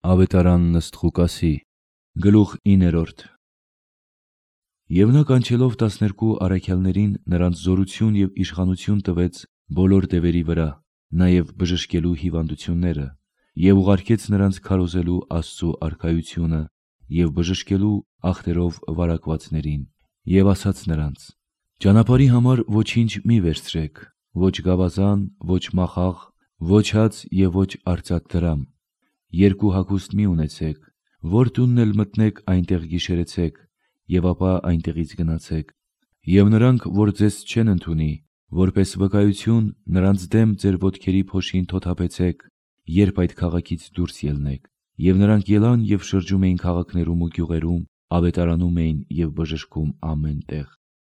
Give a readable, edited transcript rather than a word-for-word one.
Ավետարանն ըստ Ղուկասի, գլուխ 9։ Եվ նա կանչելով 12 առաքյալներին նրանց զորություն և իշխանություն տվեց բոլոր դևերի վրա, նաև բժշկելու հիվանդությունները, և ուղարկեց նրանց քարոզելու Աստծու արքայությունը և բժշկելու ախտերով վարակվածներին, և ասաց նրանց. «Ճանապարհի համար ոչինչ մի վերցրեք, ոչ գավազան, ոչ մախաղ, ոչ հաց և ոչ արծաթ դրամ, երկու հագուստ մի ունեցեք, որ տունն էլ մտնեք, այնտեղ գիշերեցեք, և ապա այնտեղից գնացեք։ Եվ նրանք, որ ձեզ չեն ընդունի, որպես վկայություն, նրանց դեմ ձեր ոտքերի փոշին թոթափեցեք, երբ այդ քաղաքից դուրս ելնեք»։ Եվ նրանք ելան և շրջում էին քաղաքներում ու գյուղերում, ավետարանում էին և բժշկում ամեն տեղ։